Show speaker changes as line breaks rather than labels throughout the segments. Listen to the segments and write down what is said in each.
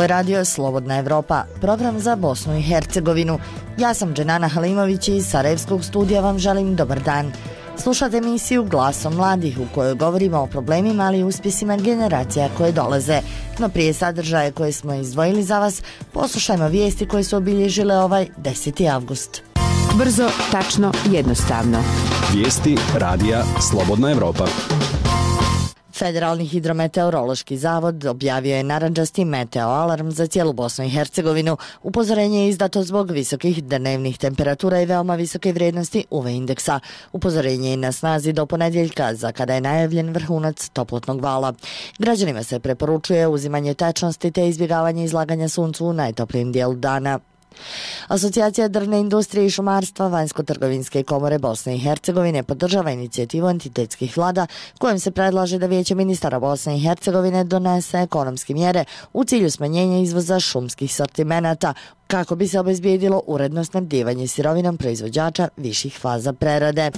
je radio Slobodna Evropa, program za Bosnu i Hercegovinu. Ja sam Dženana Halimović i iz Sarajevskog studija vam želim dobar dan. Slušate emisiju Glasom mladih u kojoj govorimo o problemima, ali i uspjesima generacija koje dolaze. No prije sadržaje koje smo izdvojili za vas, poslušajmo vijesti koje su obilježile ovaj 10. avgust.
Brzo, tačno, jednostavno.
Vijesti radija Slobodna Evropa.
Federalni hidrometeorološki zavod objavio je narandžasti meteo alarm za cijelu Bosnu i Hercegovinu. Upozorenje je izdato zbog visokih dnevnih temperatura i veoma visoke vrijednosti UV indeksa. Upozorenje je na snazi do ponedjeljka, za kada je najavljen vrhunac toplotnog vala. Građanima se preporučuje uzimanje tečnosti te izbjegavanje izlaganja suncu u najtoplijim dijelu dana. Asocijacija drvne industrije i šumarstva Vanjsko-trgovinske komore Bosne i Hercegovine podržava inicijativu entitetskih vlada kojom se predlaže da Vijeće ministara Bosne i Hercegovine donese ekonomske mjere u cilju smanjenja izvoza šumskih sortimenata kako bi se obezbijedilo uredno snabdijevanje sirovinom proizvođača viših faza prerade.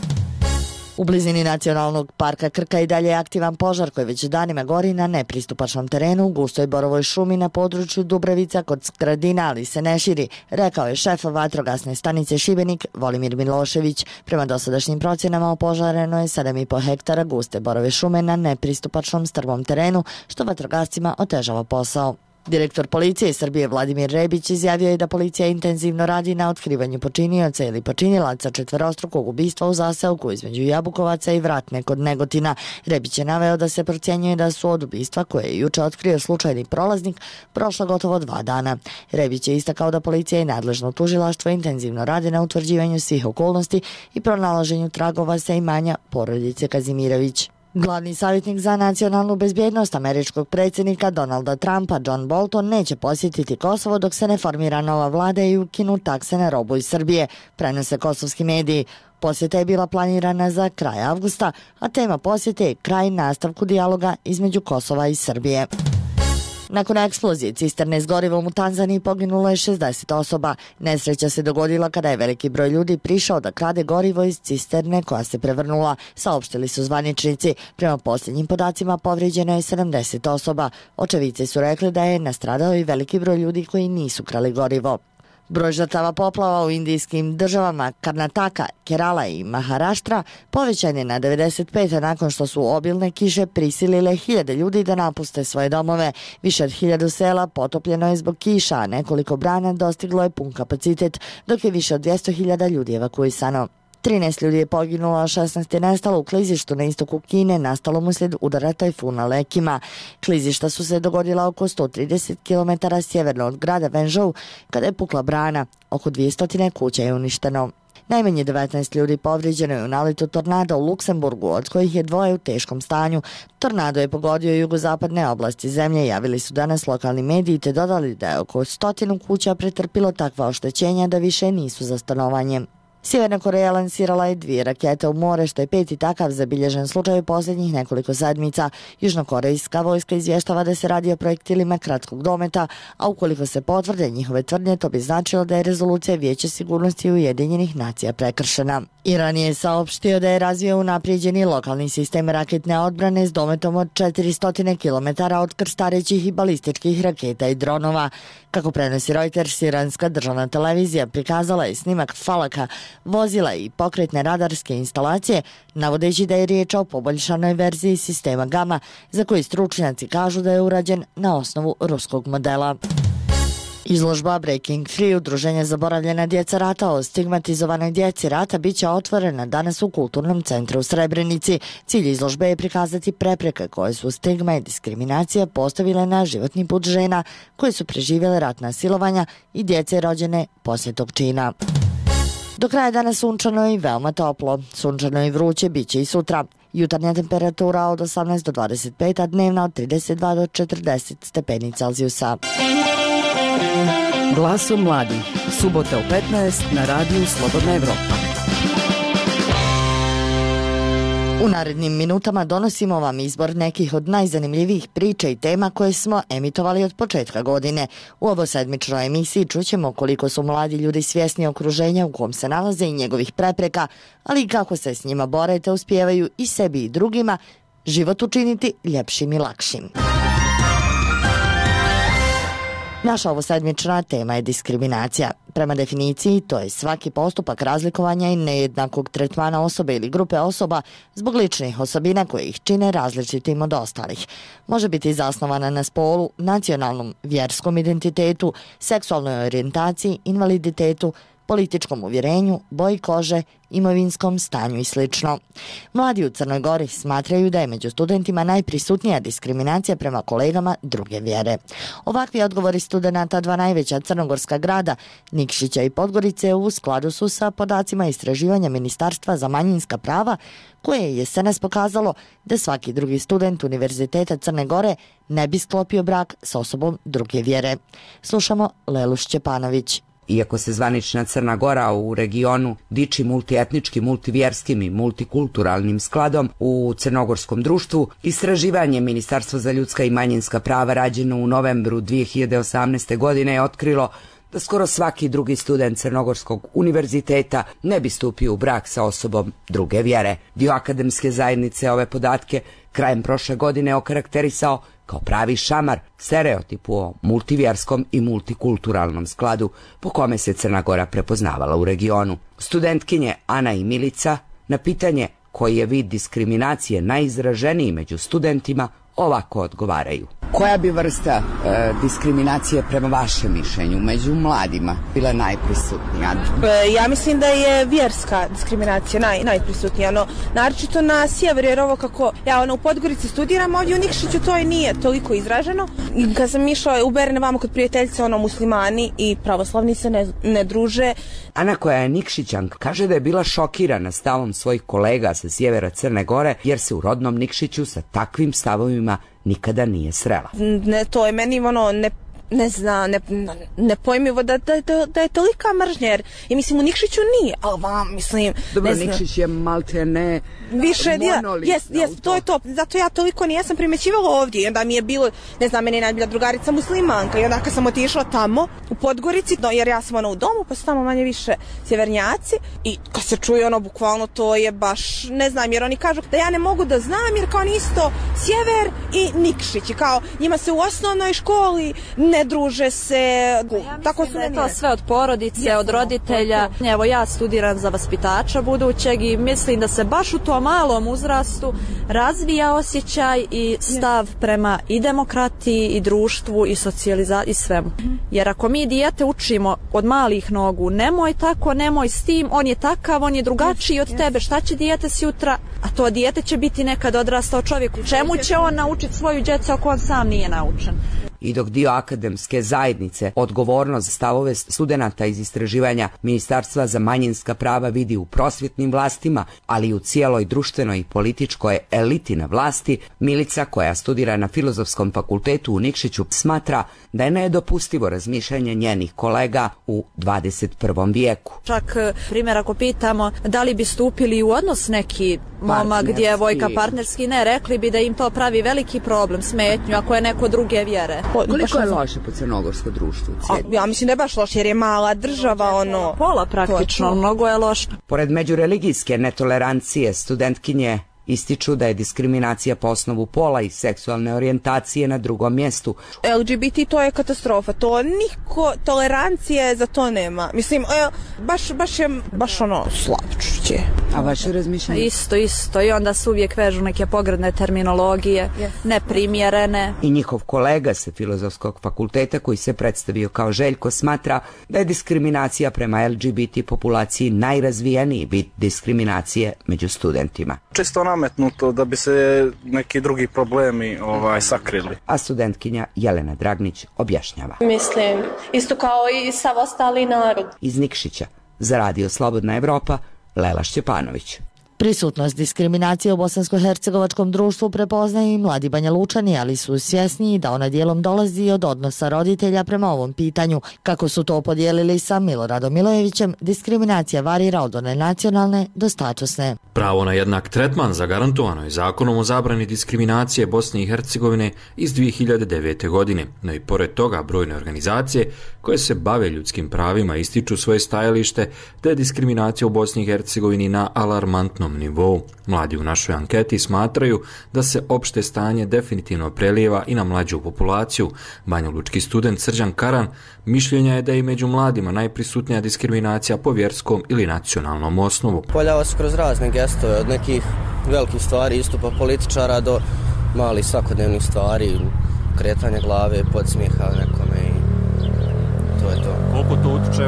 U blizini Nacionalnog parka Krka i dalje je aktivan požar koji već danima gori na nepristupačnom terenu u gustoj borovoj šumi na području Dubravica kod Skradina, ali se ne širi, rekao je šef vatrogasne stanice Šibenik Volimir Milošević. Prema dosadašnjim procjenama opožareno je 7,5 hektara guste borove šume na nepristupačnom strmom terenu, što vatrogascima otežava posao. Direktor policije Srbije Vladimir Rebić izjavio je da policija intenzivno radi na otkrivanju počinioca ili počinilaca četverostrukog ubistva u zaseoku između Jabukovaca i Vratne kod Negotina. Rebić je naveo da se procjenjuje da su od ubistva koje je juče otkrio slučajni prolaznik prošla gotovo 2 dana. Rebić je istakao da policija i nadležno tužilaštvo intenzivno rade na utvrđivanju svih okolnosti i pronalaženju tragova sa imanja porodice Kazimirović. Glavni savjetnik za nacionalnu bezbjednost američkog predsjednika Donalda Trumpa, John Bolton, neće posjetiti Kosovo dok se ne formira nova vlada i ukinu takse na robu iz Srbije, prenose kosovski mediji. Posjeta je bila planirana za kraj avgusta, a tema posjete je kraj nastavku dijaloga između Kosova i Srbije. Nakon eksplozije cisterne s gorivom u Tanzaniji poginulo je 60 osoba. Nesreća se dogodila kada je veliki broj ljudi prišao da krade gorivo iz cisterne koja se prevrnula, saopštili su zvaničnici. Prema posljednjim podacima povrijeđeno je 70 osoba. Očevici su rekli da je nastradao i veliki broj ljudi koji nisu krali gorivo. Broj žrtava poplava u indijskim državama Karnataka, Kerala i Maharaštra povećan je na 95 nakon što su obilne kiše prisilile hiljade ljudi da napuste svoje domove. Više od 1000 sela potopljeno je zbog kiša, a nekoliko brana dostiglo je pun kapacitet, dok je više od 200.000 ljudi evakuisano. 13 ljudi je poginulo, a 16 je nestalo u klizištu na istoku Kine, nastalom uslijed udara tajfuna Lekima. Klizišta su se dogodila oko 130 km sjeverno od grada Venzhou kada je pukla brana. Oko 200 kuća je uništeno. Najmanje 19 ljudi povrijeđeno je u naletu tornada u Luksemburgu, od kojih je 2 u teškom stanju. Tornado je pogodio jugozapadne oblasti zemlje, javili su danas lokalni mediji te dodali da je oko 100 kuća pretrpilo takva oštećenja da više nisu za stanovanje. Sjeverna Koreja lansirala je 2 rakete u more, što je 5. takav zabilježen slučaj u posljednjih nekoliko sedmica. Južnokorejska vojska izvještava da se radi o projektilima kratkog dometa, a ukoliko se potvrde njihove tvrdnje, to bi značilo da je rezolucija Vijeća sigurnosti Ujedinjenih nacija prekršena. Iran je saopštio da je razvio unaprijeđeni lokalni sistem raketne odbrane s dometom od 400 km od krstarećih i balističkih raketa i dronova. Kako prenosi Reuters, iranska državna televizija prikazala je snimak Falaka, vozila i pokretne radarske instalacije, navodeći da je riječ o poboljšanoj verziji sistema Gama, za koji stručnjaci kažu da je urađen na osnovu ruskog modela. Izložba Breaking Free udruženja Zaboravljena djeca rata o stigmatizovanoj djeci rata bit će otvorena danas u Kulturnom centru u Srebrenici. Cilj izložbe je prikazati prepreke koje su stigma i diskriminacija postavile na životni put žena koje su preživjele ratna silovanja i djece rođene poslije tog čina. Do kraja dana sunčano i veoma toplo. Sunčano i vruće bit će i sutra. Jutarnja temperatura od 18 do 25, a dnevna od 32 do 40 stepeni Celzijusa.
Glasom mladih. Subota u 15 na radiju Slobodna Evropa.
U narednim minutama donosimo vam izbor nekih od najzanimljivijih priča i tema koje smo emitovali od početka godine. U ovoj sedmičnoj emisiji čućemo koliko su mladi ljudi svjesni okruženja u kom se nalaze i njegovih prepreka, ali i kako se s njima bore te uspijevaju i sebi i drugima život učiniti ljepšim i lakšim. Naša ovosedmična tema je diskriminacija. Prema definiciji, to je svaki postupak razlikovanja i nejednakog tretmana osobe ili grupe osoba zbog ličnih osobina koje ih čine različitim od ostalih. Može biti zasnovana na spolu, nacionalnom, vjerskom identitetu, seksualnoj orijentaciji, invaliditetu, političkom uvjerenju, boji kože, imovinskom stanju i sl. Mladi u Crnoj Gori smatraju da je među studentima najprisutnija diskriminacija prema kolegama druge vjere. Ovakvi odgovori studenata dva najveća crnogorska grada, Nikšića i Podgorice, u skladu su sa podacima istraživanja Ministarstva za manjinska prava, koje je jesenas pokazalo da svaki drugi student Univerziteta Crne Gore ne bi sklopio brak s osobom druge vjere. Slušamo Lelu Šćepanović.
Iako se zvanična Crna Gora u regionu diči multietničkim, multivjerskim i multikulturalnim skladom u crnogorskom društvu, istraživanje Ministarstva za ljudska i manjinska prava rađeno u novembru 2018. godine je otkrilo da skoro svaki drugi student Crnogorskog univerziteta ne bi stupio u brak sa osobom druge vjere. Dio akademske zajednice ove podatke krajem prošle godine okarakterisao kao pravi šamar, stereotipu o multivjerskom i multikulturalnom skladu po kome se Crna Gora prepoznavala u regionu. Studentkinje Ana i Milica na pitanje koji je vid diskriminacije najizraženiji među studentima ovako odgovaraju. Koja bi vrsta diskriminacije prema vašem mišljenju među mladima bila najprisutnija?
Ja mislim da je vjerska diskriminacija najprisutnija. Naročito na sjeveru, jer ovo kako ja u Podgorici studiram, ovdje u Nikšiću to i nije toliko izraženo. I kad sam išla u Berne vamo kod prijateljice, muslimani i pravoslavni se ne druže.
Ana, koja je Nikšićanka, kaže da je bila šokirana stavom svojih kolega sa sjevera Crne Gore, jer se u rodnom Nikšiću sa takvim stavovima nikada nije srela.
To je meni nepojmivo da je tolika mržnja, jer mislim u Nikšiću nije, ali vam mislim...
Dobro, Nikšić je malte ne
više monolitno. To je to, zato ja toliko nijesam primećivala ovdje i onda mi je bilo, meni je najbolja drugarica muslimanka i onda kad sam otišla tamo u Podgorici, jer ja sam u domu, pa su tamo manje više sjevernjaci i kad se čuje bukvalno to je baš, jer oni kažu da ja ne mogu da znam jer kao isto sjever i Nikšić i kao njima se u osnovnoj školi ne druže se, tako su
je to sve od porodice, od roditelja. Evo ja studiram za vaspitača budućeg i mislim da se baš u tom malom uzrastu razvija osjećaj i stav prema i demokratiji i društvu i socijalizaciji i svemu. Jer ako mi dijete učimo od malih nogu, nemoj tako, nemoj s tim, on je takav, on je drugačiji od tebe, šta će dijete sutra, a to dijete će biti nekad odrastao čovjek. Čemu će on naučiti svoju djecu ako on sam nije naučen?
I dok dio akademske zajednice odgovornost za stavove studenata iz istraživanja Ministarstva za manjinska prava vidi u prosvjetnim vlastima, ali i u cijeloj društvenoj i političkoj eliti na vlasti, Milica, koja studira na Filozofskom fakultetu u Nikšiću, smatra da je nedopustivo razmišljanje njenih kolega u 21. vijeku.
Čak, primjer, ako pitamo da li bi stupili u odnos neki momak, djevojka, partnerski, ne, rekli bi da im to pravi veliki problem, smetnju, ako je neko druge vjere.
Koliko je loše po crnogorsko društvo?
Ja mislim da je baš loše jer je mala država,
pola praktično, mnogo je loše.
Pored međureligijske netolerancije, studentkinje ističu da je diskriminacija po osnovu pola i seksualne orijentacije na drugom mjestu.
LGBT to je katastrofa, to niko tolerancije za to nema. Mislim, baš je slavčuće.
A vaše razmišljanje?
Isto i onda se uvijek vežu neke pogrdne terminologije, neprimjerene.
I njihov kolega sa Filozofskog fakulteta koji se predstavio kao Željko smatra da je diskriminacija prema LGBT populaciji najrazvijeniji vid diskriminacije među studentima.
Čisto nametnuto da bi se neki drugi problemi sakrili.
A studentkinja Jelena Dragnić objašnjava.
Mislim, isto kao i sav ostali narod.
Iz Nikšića, za Radio Slobodna Evropa, Lela Šćepanović.
Prisutnost diskriminacije u bosansko-hercegovačkom društvu prepoznaju i mladi Banja Lučani, ali su svjesni da ona dijelom dolazi od odnosa roditelja prema ovom pitanju. Kako su to podijelili sa Miloradom Milojevićem, diskriminacija varira od one nacionalne do statusne.
Pravo na jednak tretman zagarantovano je Zakonom o zabrani diskriminacije Bosne i Hercegovine iz 2009. godine, no i pored toga brojne organizacije koje se bave ljudskim pravima ističu svoje stajalište da je diskriminacija u Bosni i Hercegovini na alarmantnom jednom nivou. Mladi u našoj anketi smatraju da se opšte stanje definitivno prelijeva i na mlađu populaciju. Banjalučki student Srđan Karan mišljenja je da je i među mladima najprisutnija diskriminacija po vjerskom ili nacionalnom osnovu.
Poljava se kroz razne gestove, od nekih velikih stvari, istupa političara do malih svakodnevnih stvari, kretanja glave, podsmijeha nekome i to je to.
Koliko to utiče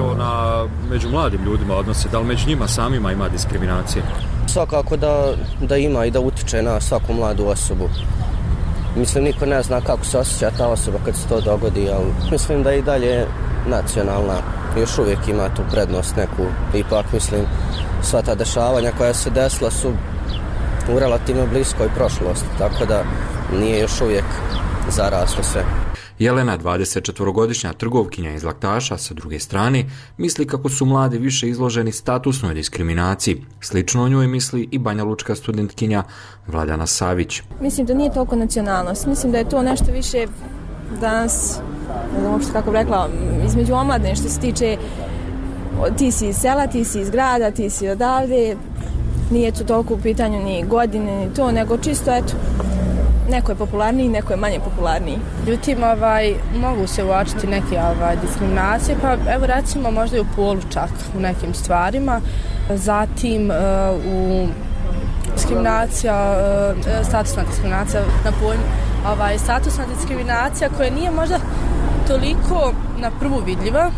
među mladim ljudima odnose? Da li među njima samima ima diskriminacije?
Svakako da ima i da utiče na svaku mladu osobu. Mislim, niko ne zna kako se osjeća ta osoba kad se to dogodi, ali mislim da i dalje nacionalna još uvijek ima tu prednost neku. Ipak, mislim, sva ta dešavanja koja se desila su u relativno bliskoj prošlosti, tako da nije još uvijek zaraslo sve.
Jelena, 24-godišnja trgovkinja iz Laktaša, sa druge strane, misli kako su mladi više izloženi statusnoj diskriminaciji. Slično o njoj misli i banjalučka studentkinja Vladana Savić.
Mislim da nije toliko nacionalnost. Mislim da je to nešto više danas, ne znam uopšte kako bi rekla, između omladne što se tiče ti si iz sela, ti si iz grada, ti si odavde. Nije to toliko u pitanju ni godine, ni to, nego čisto, eto, neko je popularniji, neko je manje popularniji.
Ljutim, mogu se uočiti neke diskriminacije, pa evo recimo možda i u polu čak u nekim stvarima. Zatim u diskriminacija, statusna diskriminacija na pojmu, statusna diskriminacija koja nije možda toliko na prvu vidljiva,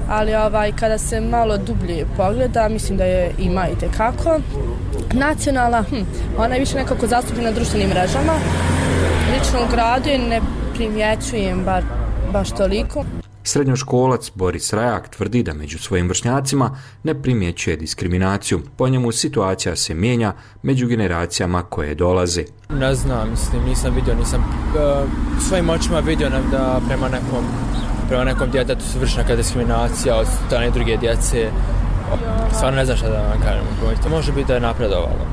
ali kada se malo dublje pogleda, mislim da je ima i tekako. Nacionalna, ona je više nekako zastupljena na društvenim mrežama. Lično u gradu je ne primjećujem baš toliko.
Srednjoškolac Boris Rajak tvrdi da među svojim vršnjacima ne primjećuje diskriminaciju. Po njemu situacija se mijenja među generacijama koje dolaze.
Ne znam, nisam vidio, svojim očima vidio da prema nekom djetetu su vršena neka diskriminacija od strane druge djece. Stvarno ne znam šta da vam kažem. Može biti da je napredovalo,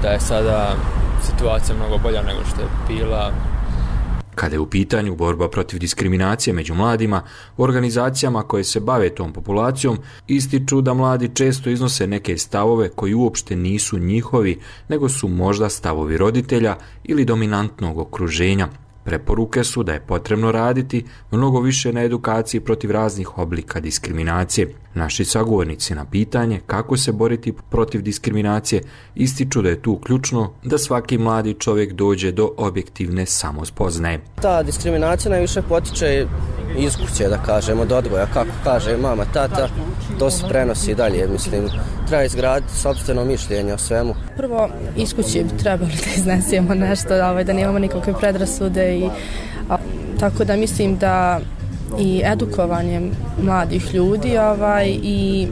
da je sada situacija mnogo bolja nego što je bila.
Kada je u pitanju borba protiv diskriminacije među mladima, u organizacijama koje se bave tom populacijom ističu da mladi često iznose neke stavove koji uopšte nisu njihovi, nego su možda stavovi roditelja ili dominantnog okruženja. Preporuke su da je potrebno raditi mnogo više na edukaciji protiv raznih oblika diskriminacije. Naši sagovornici na pitanje kako se boriti protiv diskriminacije ističu da je tu ključno da svaki mladi čovjek dođe do objektivne samospoznaje.
Ta diskriminacija najviše potiče iz kuće, da kažemo, od odgoja, kako kaže mama, tata, to se prenosi dalje, mislim, treba izgraditi sopstveno mišljenje o svemu.
Prvo, iz kuće bi trebali da iznesemo nešto, da nemamo nikakve predrasude tako da mislim da i edukovanjem mladih ljudi i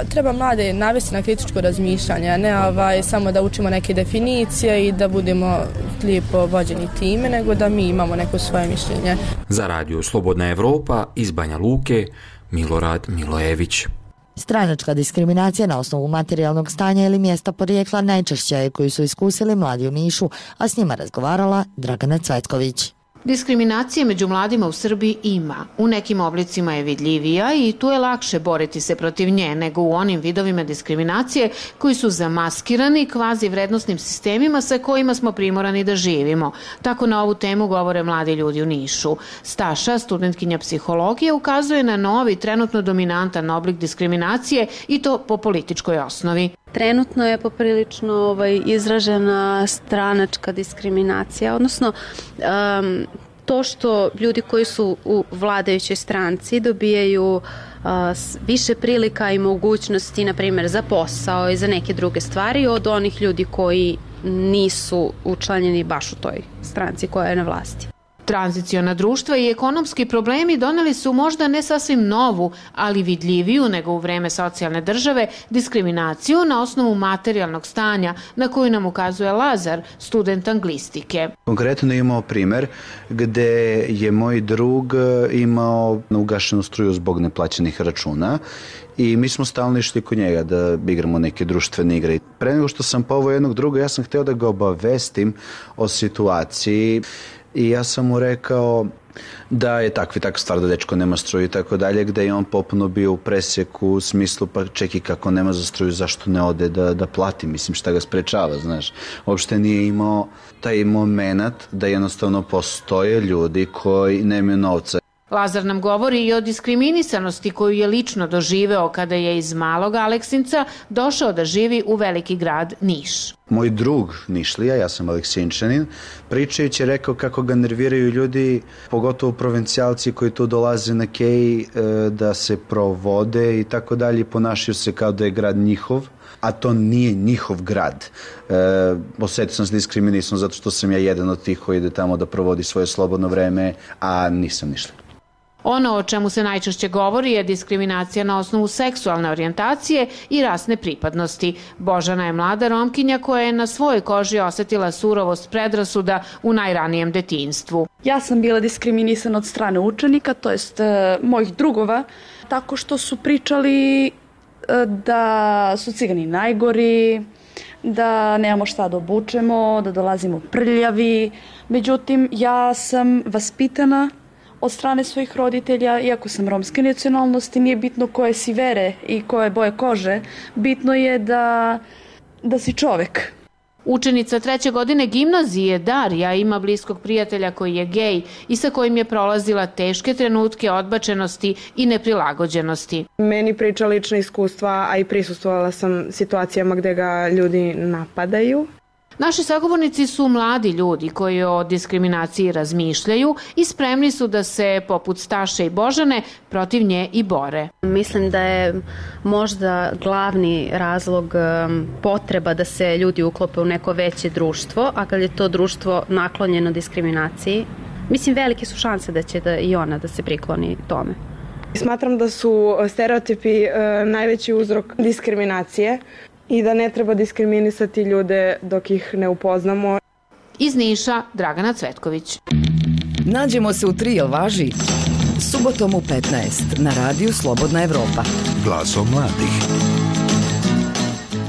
treba mlade navesti na kritičko razmišljanje, a ne samo da učimo neke definicije i da budemo lijepo vođeni time, nego da mi imamo neko svoje mišljenje.
Za Radio Slobodna Evropa iz Banja Luke, Milorad Milojević.
Stranačka diskriminacija na osnovu materijalnog stanja ili mjesta porijekla najčešća je koju su iskusili mladi u Nišu, a s njima razgovarala Dragana Cvetković.
Diskriminacije među mladima u Srbiji ima. U nekim oblicima je vidljivija i tu je lakše boriti se protiv nje nego u onim vidovima diskriminacije koji su zamaskirani kvazi vrednosnim sistemima sa kojima smo primorani da živimo. Tako na ovu temu govore mladi ljudi u Nišu. Staša, studentkinja psihologije, ukazuje na novi, trenutno dominantan oblik diskriminacije i to po političkoj osnovi.
Trenutno je poprilično izražena stranačka diskriminacija, odnosno to što ljudi koji su u vladajućoj stranci dobijaju više prilika i mogućnosti, na primjer, za posao i za neke druge stvari od onih ljudi koji nisu učlanjeni baš u toj stranci koja je na vlasti.
Tranziciona društva i ekonomski problemi doneli su možda ne sasvim novu, ali vidljiviju nego u vreme socijalne države, diskriminaciju na osnovu materijalnog stanja na koju nam ukazuje Lazar, student anglistike.
Konkretno imao primjer gdje je moj drug imao ugašenu struju zbog neplaćenih računa i mi smo stalno išli kod njega da igramo neke društvene igre. Pre nego što sam poveo jednog druga, ja sam htio da ga obavestim o situaciji. I ja sam mu rekao, Da je takva stvar da dečko nema struju i tako dalje, gde je on popuno bio u presjeku u smislu pa čeki kako nema za struju, zašto ne ode da plati, mislim šta ga sprečava, znaš. Uopšte nije imao taj moment da jednostavno postoje ljudi koji nemaju novca.
Lazar nam govori i o diskriminisanosti koju je lično doživeo kada je iz malog Aleksinca došao da živi u veliki grad Niš.
Moj drug Nišlija, ja sam Aleksinčanin, pričajući je rekao kako ga nerviraju ljudi, pogotovo provincijalci koji tu dolaze na Kej da se provode i tako dalje i ponašaju se kao da je grad njihov, a to nije njihov grad. Osjetio sam se diskriminisan zato što sam ja jedan od tih koji ide tamo da provodi svoje slobodno vreme, a nisam Nišlija.
Ono o čemu se najčešće govori je diskriminacija na osnovu seksualne orijentacije i rasne pripadnosti. Božana je mlada Romkinja koja je na svojoj koži osetila surovost predrasuda u najranijem detinjstvu.
Ja sam bila diskriminisana od strane učenika, to jest mojih drugova, tako što su pričali da su cigani najgori, da nemamo šta da obučemo, da dolazimo prljavi. Međutim, ja sam vaspitana od strane svojih roditelja, iako sam romske nacionalnosti, nije bitno koje si vere i koje boje kože, bitno je da si čovek.
Učenica 3. godine gimnazije Darija ima bliskog prijatelja koji je gej i sa kojim je prolazila teške trenutke odbačenosti i neprilagođenosti.
Meni priča lična iskustva, a i prisustvovala sam situacijama gde ga ljudi napadaju.
Naši sagovornici su mladi ljudi koji o diskriminaciji razmišljaju i spremni su da se, poput Staše i Božane, protiv nje i bore.
Mislim da je možda glavni razlog potreba da se ljudi uklope u neko veće društvo, a kad je to društvo naklonjeno diskriminaciji, mislim velike su šanse da će i ona da se prikloni tome.
Smatram da su stereotipi najveći uzrok diskriminacije i da ne treba diskriminisati ljude dok ih ne upoznamo.
Iz Niša, Dragana Cvetković.
Nađemo se u 3, jel važi? Subotom u 15 na radiju Slobodna Evropa.
Glasom mladih.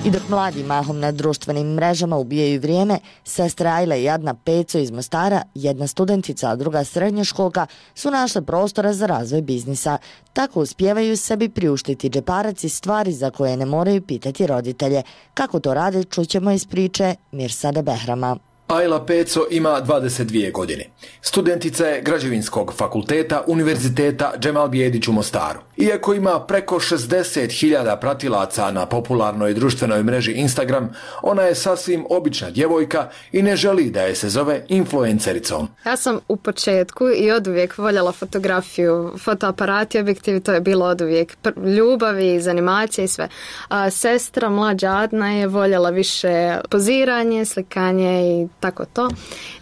I dok mladi mahom na društvenim mrežama ubijaju vrijeme, sestre Ajla i Adna Peco iz Mostara, jedna studentica, a druga srednjoškolka, su našle prostora za razvoj biznisa. Tako uspijevaju sebi priuštiti džeparac i stvari za koje ne moraju pitati roditelje. Kako to rade, čućemo iz priče Mirsada Behrama.
Ajla Peco ima 22 godine. Studentica je Građevinskog fakulteta Univerziteta Džemal Bijedić u Mostaru. Iako ima preko 60.000 pratilaca na popularnoj društvenoj mreži Instagram, ona je sasvim obična djevojka i ne želi da je se zove influencericom.
Ja sam u početku i oduvijek voljela fotografiju, fotoaparati, objektivi, to je bilo oduvijek ljubavi, zanimacije i sve. A sestra mlađa Adna je voljela više poziranje, slikanje i tako to.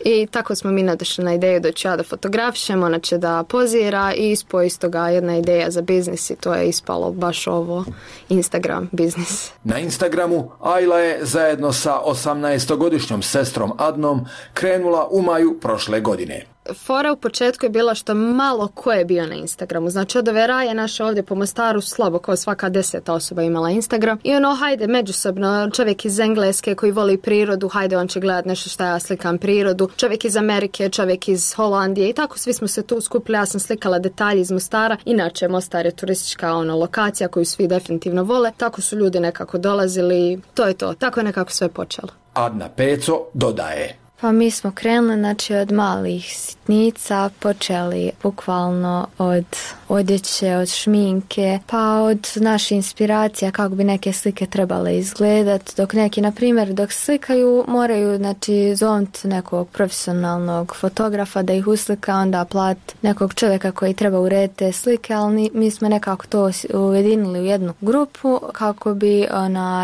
I tako smo mi nadošli na ideju da ću ja da fotografišem, ona će da pozira i ispoje iz toga jedna ideja za biznis i to je ispalo baš ovo Instagram biznis.
Na Instagramu Ajla je zajedno sa 18-godišnjom sestrom Adnom krenula u maju prošle godine.
Fora u početku je bila što malo ko je bio na Instagramu. Znači od ove raje naše ovdje po Mostaru slabo kao svaka 10. osoba imala Instagram. I hajde međusobno, čovjek iz Engleske koji voli prirodu, hajde on će gledat nešto šta ja slikam prirodu. Čovjek iz Amerike, čovjek iz Holandije i tako svi smo se tu skupili. Ja sam slikala detalje iz Mostara. Inače Mostar je turistička lokacija koju svi definitivno vole. Tako su ljudi nekako dolazili. To je to. Tako je nekako sve počelo.
Adna Peco dodaje.
Pa mi smo krenuli, znači od malih sitnica, počeli bukvalno od odjeće, od šminke, pa od naše inspiracija kako bi neke slike trebale izgledati, dok neki, na primjer, dok slikaju moraju, znači, zovnuti nekog profesionalnog fotografa da ih uslika, onda plat nekog čovjeka koji treba urediti te slike, ali mi smo nekako to ujedinili u jednu grupu kako bi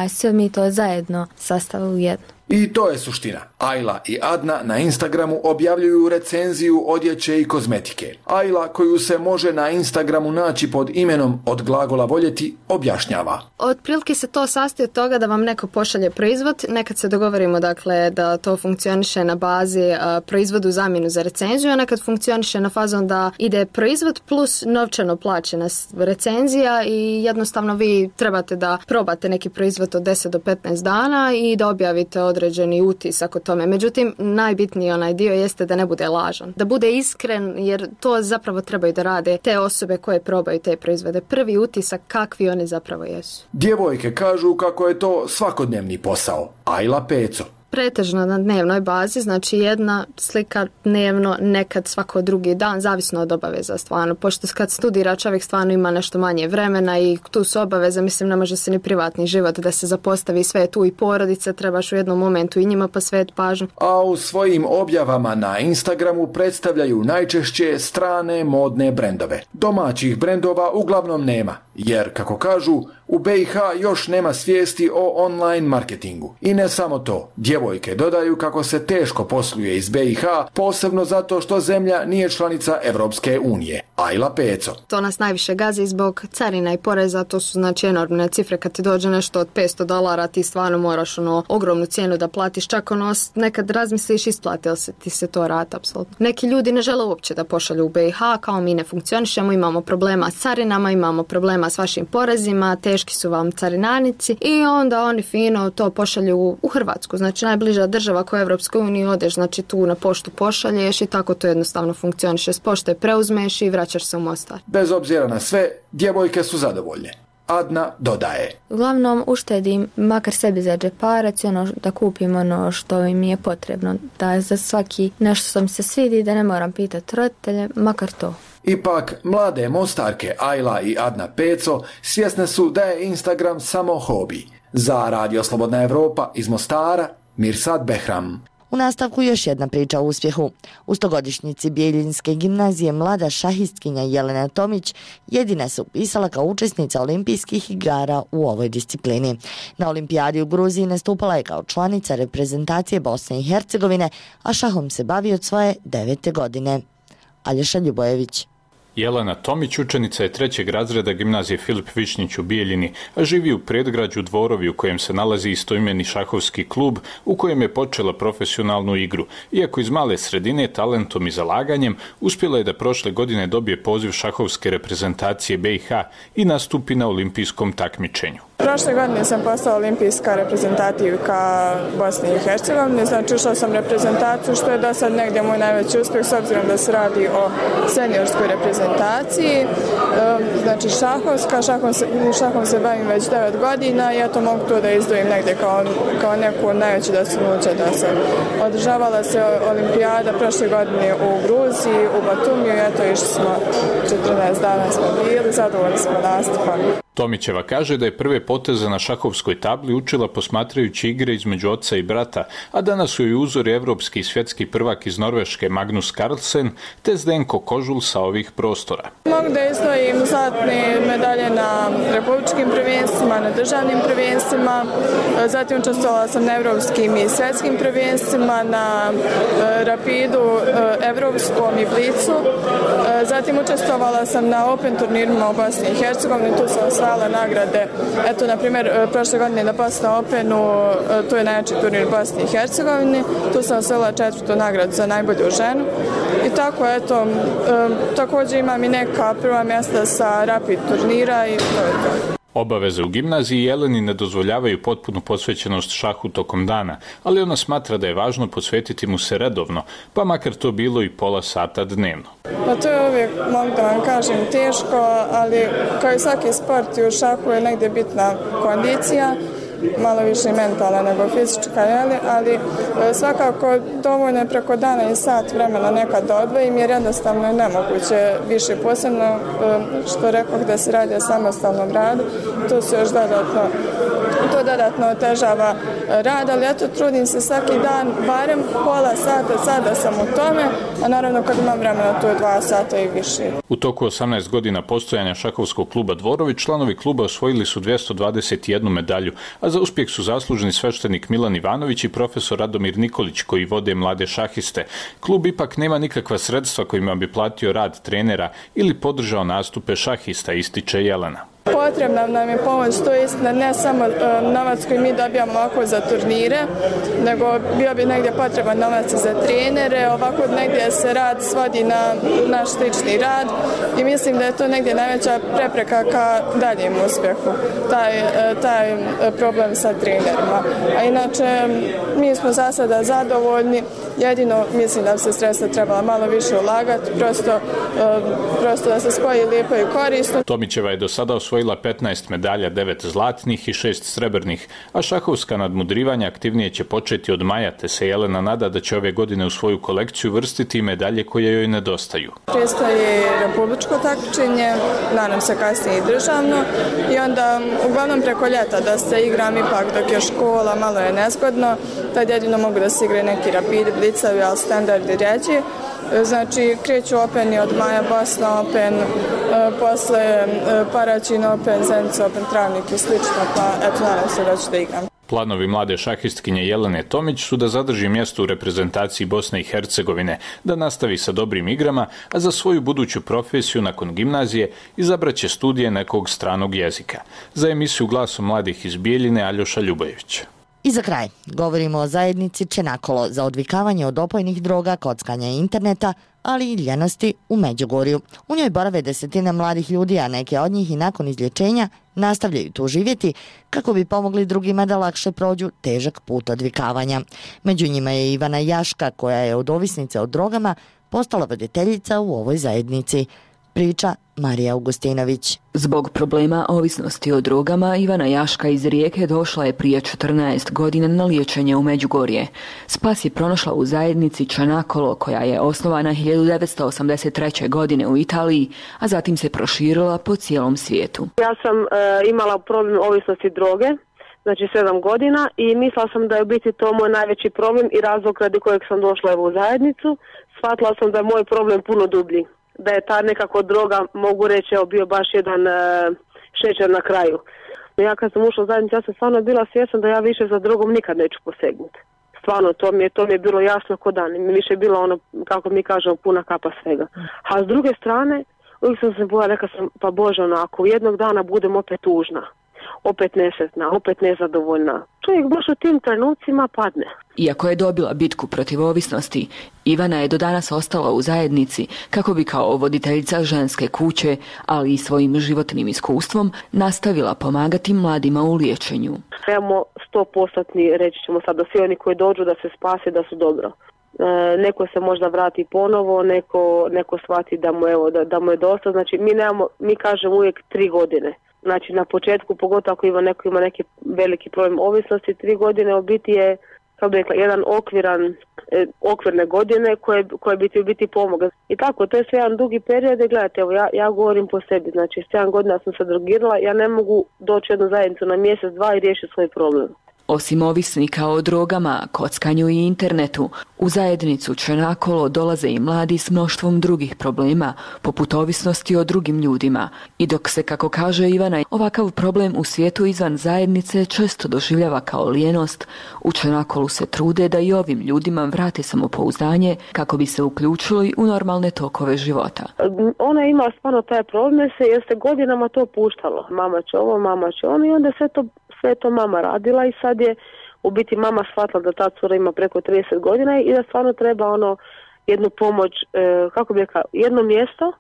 sve mi to zajedno sastavili u jednu.
I to je suština. Ajla i Adna na Instagramu objavljuju recenziju odjeće i kozmetike. Ajla, koju se može na Instagramu naći pod imenom Od glagola voljeti, objašnjava.
Otprilike se to sastoji od toga da vam neko pošalje proizvod, nekad se dogovorimo dakle da to funkcioniše na bazi proizvodu zamjenu za recenziju, a nekad funkcioniše na fazon da ide proizvod plus novčano plaćena recenzija i jednostavno vi trebate da probate neki proizvod od 10 do 15 dana i da objavite od određeni utisak o tome. Međutim, najbitniji onaj dio jeste da ne bude lažan. Da bude iskren, jer to zapravo trebaju da rade te osobe koje probaju te proizvode. Prvi utisak kakvi oni zapravo jesu.
Djevojke kažu kako je to svakodnevni posao. Ajla Peco.
Pretežno na dnevnoj bazi, znači jedna slika dnevno, nekad svako drugi dan, zavisno od obaveza stvarno. Pošto kad studira čovjek stvarno ima nešto manje vremena i tu su obaveze, mislim ne može se ni privatni život da se zapostavi, sve tu i porodica, trebaš u jednom momentu i njima posvetiti pažnju.
A u svojim objavama na Instagramu predstavljaju najčešće strane modne brendove. Domaćih brendova uglavnom nema, jer kako kažu, u BiH još nema svijesti o online marketingu. I ne samo to, djevojke dodaju kako se teško posluje iz BiH, posebno zato što zemlja nije članica Evropske unije. Ajla Peco.
To nas najviše gazi zbog carina i poreza, to su znači enormne cifre, kad ti dođe nešto od $500, ti stvarno moraš ogromnu cijenu da platiš, čak nekad razmisliš isplati li se ti se to rata, apsolutno. Neki ljudi ne žele uopće da pošalju u BiH, kao mi ne funkcionišemo, imamo problema s carinama, imamo problema s vašim porezima, teški su vam carinarnici i onda oni fino to pošalju u Hrvatsku, znači najbliža država koja je Evropskoj uniji, odeš znači tu na poštu pošalješ i tako to jednostavno funkcioniše, s pošte preuzmeš i vraćaš se u Mostar.
Bez obzira na sve, djevojke su zadovoljne. Adna dodaje.
Uglavnom uštedim makar sebi za džeparac, da kupim ono što mi je potrebno, da za svaki nešto što mi se svidi, da ne moram pitati roditelje, makar to.
Ipak, mlade Mostarke Ajla i Adna Peco svjesne su da je Instagram samo hobi. Za Radio Slobodna Evropa iz Mostara, Mirsad Behram.
U nastavku još jedna priča o uspjehu. U 100-godišnjici Bijeljinske gimnazije mlada šahistkinja Jelena Tomić jedina se upisala kao učesnica olimpijskih igara u ovoj disciplini. Na olimpijadi u Gruziji nastupala je kao članica reprezentacije Bosne i Hercegovine, a šahom se bavi od svoje 9. godine. Aljoša Ljubojević.
Jelena Tomić učenica je 3. razreda gimnazije Filip Višnjić u Bijeljini, a živi u predgrađu Dvorovi u kojem se nalazi istoimeni šahovski klub u kojem je počela profesionalnu igru. Iako iz male sredine, talentom i zalaganjem, uspjela je da prošle godine dobije poziv šahovske reprezentacije BiH i nastupi na olimpijskom takmičenju.
Prošle godine sam postala olimpijska reprezentativka Bosne i Hercegovine, znači ušla sam reprezentaciju, što je do sad negdje moj najveći uspjeh, s obzirom da se radi o seniorskoj reprezentaciji. Znači šahom se bavim već 9 godina i eto mogu to da izdvojim negdje kao neku najveću dostignuće do sad. Održavala se olimpijada prošle godine u Gruziji, u Batumiju i eto išli smo 14 dana smo bili, zadovoljni smo nastupom.
Tomićeva kaže da je prve poteze na šahovskoj tabli učila posmatrajući igre između oca i brata, a danas su joj uzori evropski i svjetski prvak iz Norveške Magnus Carlsen te Zdenko Kožul sa ovih prostora.
Mogu da izdvojim zlatne medalje na republičkim prvenstvima, na državnim prvenstvima, zatim učestvovala sam na evropskim i svjetskim prvenstvima, na rapidu evropskom i blicu, zatim učestvovala sam na Open turnirima u Bosni i Hercegovini, tu sam osvajala nagrade. Eto, na primjer, prošle godine na Bosna Openu, to je najjači turnir u Bosni i Hercegovini, tu sam osvojila 4. nagradu za najbolju ženu. I tako, eto, također imam i neka prva mjesta sa rapid turnira i to je to.
Obaveze u gimnaziji Jeleni ne dozvoljavaju potpunu posvećenost šahu tokom dana, ali ona smatra da je važno posvetiti mu se redovno, pa makar to bilo i pola sata dnevno.
Pa to je uvijek, mogu da vam kažem, teško, ali kao i svaki sport i u šahu je negdje bitna kondicija, malo više mentalna nego fizička, ali svakako dovoljno je preko dana i sat vremena nekad da odvojim, jer jednostavno je nemoguće više, posebno što rekao da se radi o samostalnom radu, to se još dodatno otežava rad, ali eto trudim se svaki dan, barem pola sata, sada sam u tome, a naravno kad imam vremena to je 2 sata i više.
U toku 18 godina postojanja šahovskog kluba Dvorovi, članovi kluba osvojili su 221 medalju, a za uspjeh su zaslužni sveštenik Milan Ivanović i profesor Radomir Nikolić koji vode mlade šahiste. Klub ipak nema nikakva sredstva kojima bi platio rad trenera ili podržao nastupe šahista, ističe Jelena.
Potrebna nam je pomoć, to je istina, ne samo novac koji mi dobijamo ovako za turnire, nego bio bi negdje potreban novac za trenere, ovako negdje se rad svodi na naš slični rad i mislim da je to negdje najveća prepreka ka daljem uspjehu, taj problem sa trenerima. A inače, mi smo za sada zadovoljni, jedino mislim da bi se sredstva trebala malo više ulagati, prosto da se spoji lijepo i korisno.
Tomićeva je do sada osvojila 15 medalja, 9 zlatnih i 6 srebrnih, a šahovska nadmudrivanja aktivnije će početi od maja, te se Jelena nada da će ove godine u svoju kolekciju vrstiti medalje koje joj nedostaju.
Predstoji republičko takmičenje, nadam se kasnije i državno, i onda uglavnom preko ljeta da se igram ipak dok je škola, malo je nezgodno, tad jedino mogu da se igraju neki rapidi, blicavi, ali standardi reći. Znači, kreću Openi od maja, Bosna Open, posle Paraćin Open, Zenica Open, Travnik i slično, pa eto, nadam se da ću da igram.
Planovi mlade šahistkinje Jelene Tomić su da zadrži mjesto u reprezentaciji Bosne i Hercegovine, da nastavi sa dobrim igrama, a za svoju buduću profesiju nakon gimnazije izabraće studije nekog stranog jezika. Za emisiju Glasom mladih iz Bijeljine Aljoša Ljubojević.
I za kraj, govorimo o zajednici Čenakolo za odvikavanje od opojnih droga, kockanja i interneta, ali i ljenosti u Međugorju. U njoj borave desetine mladih ljudi, a neke od njih i nakon izlječenja nastavljaju tu živjeti kako bi pomogli drugima da lakše prođu težak put odvikavanja. Među njima je Ivana Jaška, koja je od ovisnice o drogama postala voditeljica u ovoj zajednici. Priča Marija Augustinović.
Zbog problema ovisnosti o drogama, Ivana Jaška iz Rijeke došla je prije 14 godina na liječenje u Međugorje. Spas je pronašla u zajednici Čanakolo, koja je osnovana 1983. godine u Italiji, a zatim se proširila po cijelom svijetu.
Ja sam imala problem ovisnosti droge, znači 7 godina, i mislila sam da je u biti to moj najveći problem i razlog radi kojeg sam došla u zajednicu. Shvatila sam da je moj problem puno dublji, da je ta nekako droga, mogu reći, bio baš jedan šećer na kraju. Ja kad sam ušla u zajednicu, ja sam stvarno bila svjesna da ja više za drogom nikad neću posegnuti. Stvarno, to mi je bilo jasno ko dan. Mi više je bilo ono, kako mi kažemo, puna kapa svega. A s druge strane, uvijek sam se bojala, rekla sam, pa Bože, ako jednog dana budem opet tužna, opet nesretna, opet nezadovoljna, čovjek baš u tim trenucima padne.
Iako je dobila bitku protiv ovisnosti, Ivana je do danas ostala u zajednici kako bi kao voditeljica ženske kuće, ali i svojim životnim iskustvom, nastavila pomagati mladima u liječenju.
Trebamo 100%, reći ćemo sad, da svi oni koji dođu da se spase, da su dobro. Neko se možda vrati ponovo, neko shvati da mu je dosta. Znači mi kažemo uvijek 3 godine. Znači na početku, pogotovo ako neko ima neki veliki problem ovisnosti, 3 godine u biti je, kako bi rekla, jedan okvirne godine koje bi ti u biti pomoga. I tako, to je sve jedan dugi period. Gledajte, evo ja govorim po sebi, znači 7 godina sam se drogirala, ja ne mogu doći u jednu zajednicu na mjesec, 2 i riješiti svoj problem.
Osim ovisnika o drogama, kockanju i internetu, u zajednicu Čenakolo dolaze i mladi s mnoštvom drugih problema, poput ovisnosti o drugim ljudima. I dok se, kako kaže Ivana, ovakav problem u svijetu izvan zajednice često doživljava kao lijenost, u Čenakolu se trude da i ovim ljudima vrate samopouzdanje kako bi se uključili u normalne tokove života.
Ona je imala stvarno taj problem jer se godinama to puštalo. Mama će ovo, mama će ono, i onda sve to mama radila i sad je u biti mama shvatila da ta cura ima preko 30 godina i da stvarno treba jednu pomoć, kako bi rekla, jedno mjesto,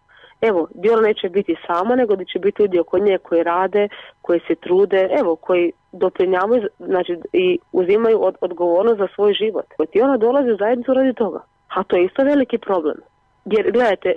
evo, gdje ona neće biti sama, nego da će biti ljudi oko nje koji rade, koji se trude, evo, koji doprinjavaju, znači, i uzimaju odgovornost za svoj život. I ona dolazi u zajednicu radi toga. A to je isto veliki problem. Jer, gledajte,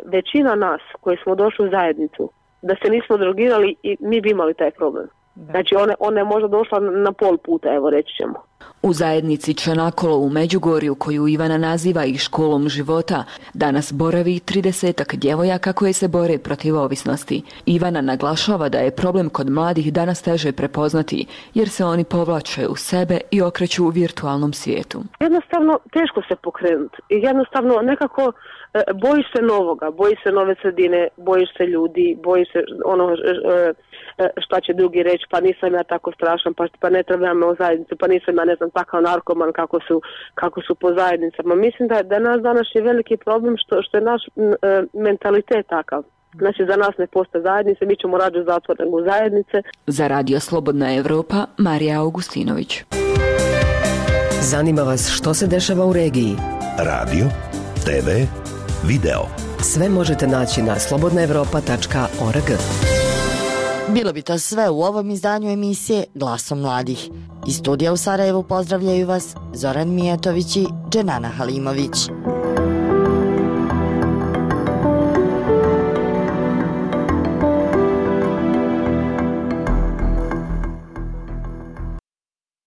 većina nas koji smo došli u zajednicu, da se nismo drogirali, i mi bi imali taj problem. Znači ona je možda došla na pol puta, evo reći ćemo.
U zajednici Čanakolo u Međugorju, koju Ivana naziva i školom života, danas boravi 30-ak djevojaka koje se bore protiv ovisnosti. Ivana naglašava da je problem kod mladih danas teže prepoznati, jer se oni povlače u sebe i okreću u virtualnom svijetu.
Jednostavno teško se pokrenuti. Jednostavno nekako bojiš se novoga, bojiš se nove sredine, bojiš se ljudi, bojiš se šta će drugi reći, pa nisam ja tako strašan, pa ne trebam me u zajednicu, pa nisam ja, ne znam, takav narkoman kako su po zajednicama. Mislim da nas danas je veliki problem što je naš mentalitet takav. Znači za nas ne postoje zajednice, mi ćemo rađe zatvor nego zajednice.
Za Radio Slobodna Evropa, Marija Augustinović.
Zanima vas što se dešava u regiji?
Radio, TV, video.
Sve možete naći na slobodnaevropa.org.
Bilo bi to sve u ovom izdanju emisije Glasom mladih. Iz studija u Sarajevu pozdravljaju vas Zoran Mijatović i Dženana Halimović.